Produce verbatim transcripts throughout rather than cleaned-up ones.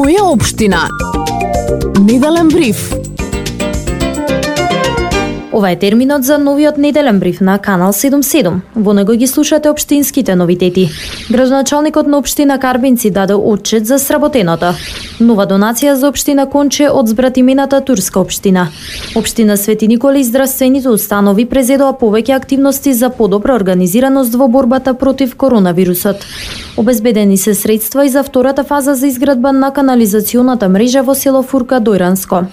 Моја општина. Неделен бриф. Ова е терминот за новиот неделен бриф на Канал седумдесет и седум. Во него ги слушате општинските новитети. Градоначалникот на општина Карбинци даде отчет за сработеното. Нова донација за општина Конче од збратимената турска општина. Општина Свети Никола и здравствените установи презедоа повеќе активности за подобра организираност во борбата против коронавирусот. Обезбедени се средства и за втората фаза за изградба на канализационата мрежа во село Фурка Дојранско.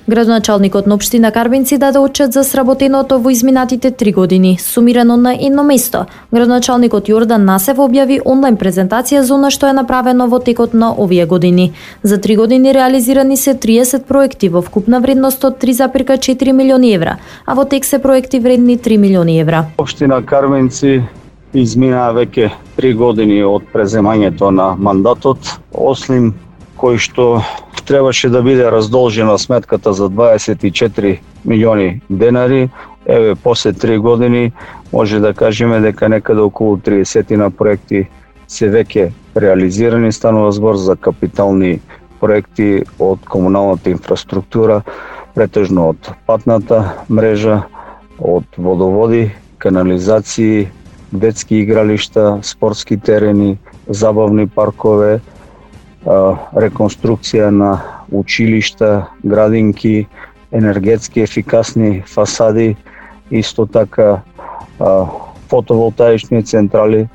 Градоначалникот на општина Карбинци даде отчет за сработеното во изминатите три години, сумирано на едно место. Градоначалникот Јордан Насев објави онлайн презентација за она што е направено во текот на овие години. За три години реализирани се триесет проекти во вкупна вредност од три зарез и четири милиони евра, а во тек се проекти вредни три милиони евра. Општина Карбинци измина веќе три години од преземањето на мандатот, ослим кој што требаше да биде раздолжена сметката за дваесет и четири милиони денари. Еве, после три години може да кажеме дека некаде околу триесет на проекти се веќе реализирани. Станува збор за капитални проекти од комуналната инфраструктура, претежно од патната мрежа, од водоводи, канализации, детски игралишта, спортски терени, забавни паркове, реконструкција на училишта, градинки, енергетски ефикасни фасади, исто така фотоволтаични централи.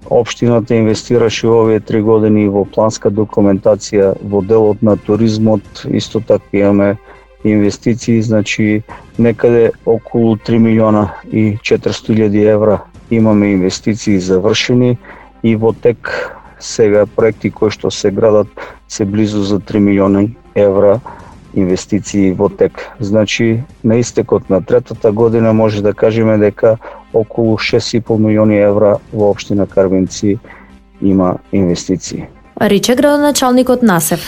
Општината инвестираше во овие три години во планска документација во делот на туризмот, исто така имаме инвестиции, значи некаде околу три милиона и четиристотини илјади евра имаме инвестиции завршени и во тек сега проекти кои што се градат се близу за три милиони евра инвестиции во тек. Значи, на истекот на третата година може да кажеме дека околу шест и пол милиони евра во општина Карбинци има инвестиции. Рече градоначалникот Насев.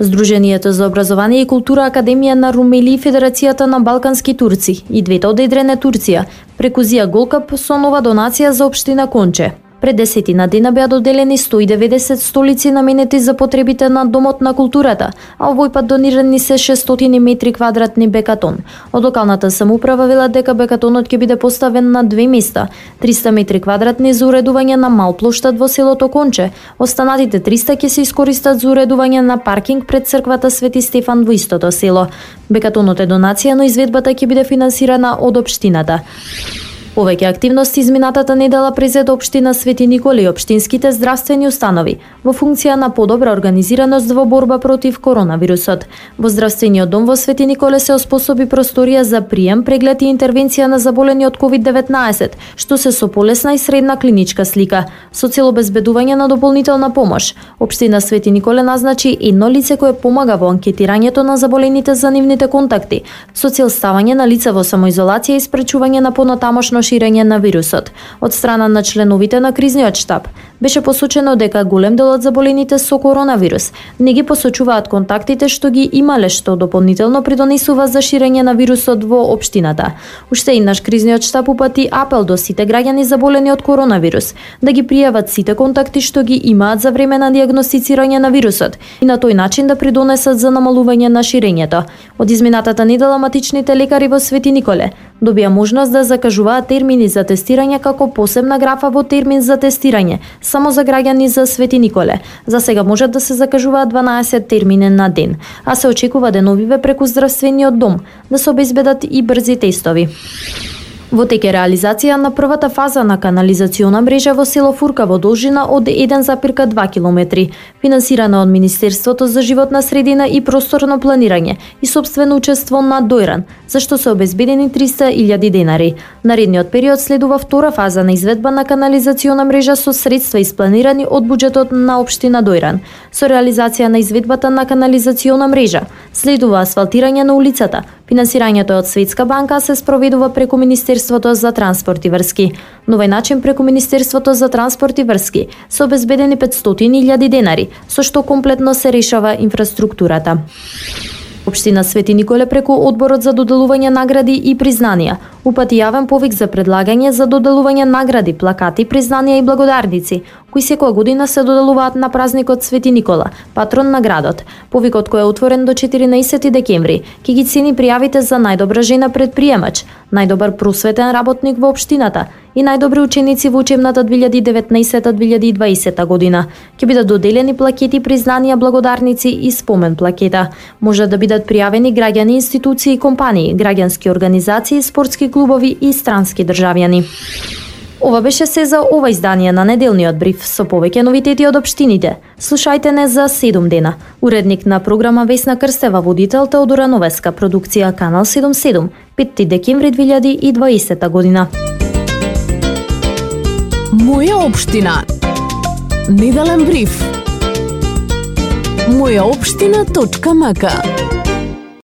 Сдруженијето за образование и култура Академија на Румели и Федерацијата на балкански турци и двете од Едрене Турција прекузија голкап со нова донација за општина Конче. Пред десетина дена беа доделени сто и деветдесет столици наменети за потребите на Домот на културата, а овој пат донирани се шестстотини метри квадратни бекатон. Од локалната самоуправа велат дека бекатонот ќе биде поставен на две места, триста метри квадратни за уредување на мал плоштад во селото Конче, останатите триста ќе се искористат за уредување на паркинг пред црквата Свети Стефан во истото село. Бекатонот е донација, но изведбата ќе биде финансирана од општината. Повеќе активности изминатата недела презеде општина Свети Никола и општинските здравствени установи во функција на подобра организираност во борба против коронавирусот. Во здравствениот дом во Свети Никола се оспособи просторија за прием, преглед и интервенција на заболени од ковид деветнаесет, што се со полесна и средна клиничка слика, со цел обезбедување на дополнителна помош. Општина Свети Никола назначи едно лице кое помага во анкетирањето на заболените за нивните контакти, со цел ставање на лица во самоизолација и спречување на понатамошно ширење на вирусот. Од страна на членовите на кризниот штаб беше посочено дека голем дел од заболените со коронавирус не ги посочуваат контактите што ги имале, што дополнително придонесува за ширење на вирусот во општината. Уште еднаш кризниот штаб упати апел до сите граѓани заболени од коронавирус да ги пријават сите контакти што ги имаат за време на дијагностицирање на вирусот и на тој начин да придонесат за намалување на ширењето. Од изминатата недела матичните лекари во Свети Николе добија можност да закажуваат термини за тестирање како посебна графа во термин за тестирање само за граѓани за Свети Николе. За сега можат да се закажуваат дванаесет термини на ден, а се очекува деновиве преку здравствениот дом да се обезбедат и брзи тестови. Во тек е реализација на првата фаза на канализациона мрежа во село Фурка во должина од еден зарез и два километри, финансирана од Министерството за животна средина и просторно планирање и сопствено учество на Дојран, за што се обезбедени триста илјади денари. Наредниот период следува втора фаза на изведба на канализациона мрежа со средства испланирани од буџетот на општина Дојран. Со реализација на изведбата на канализациона мрежа следува асфалтирање на улицата. Финансирањето од Светска банка се спроведува преку Министерството за транспорт и врски. На овој начин преку Министерството за транспорт и врски се обезбедени петстотини илјади денари, со што комплетно се решава инфраструктурата. Општина Свети Николе преку Одборот за доделување награди и признанија упати јавен повик за предлагање за доделување награди, плакати, признанија и благодарници, кои секоја година се доделуваат на празникот Свети Никола, патрон на градот. Повикот кој е отворен до четиринаесети декември ќе ги цени пријавите за најдобра жена предприемач, најдобар просветен работник во општината и најдобри ученици во учебната две илјади и деветнаесета две илјади и дваесета година. Ќе бидат доделени плакети, признанија, благодарници и спомен плакета. Може да бидат пријавени граѓани, институции и компании, граѓански организации, спортски клубови и странски државјани. Ова беше се за ова издание на неделниот бриф со повеќе новитети од општините. Слушајте не за седум дена. Уредник на програма Весна Крстева, водител Теодора Новеска, продукција Канал седумдесет и седум, петти декември две илјади и дваесета година. Моја општина. Неделен бриф. моја општина точка м к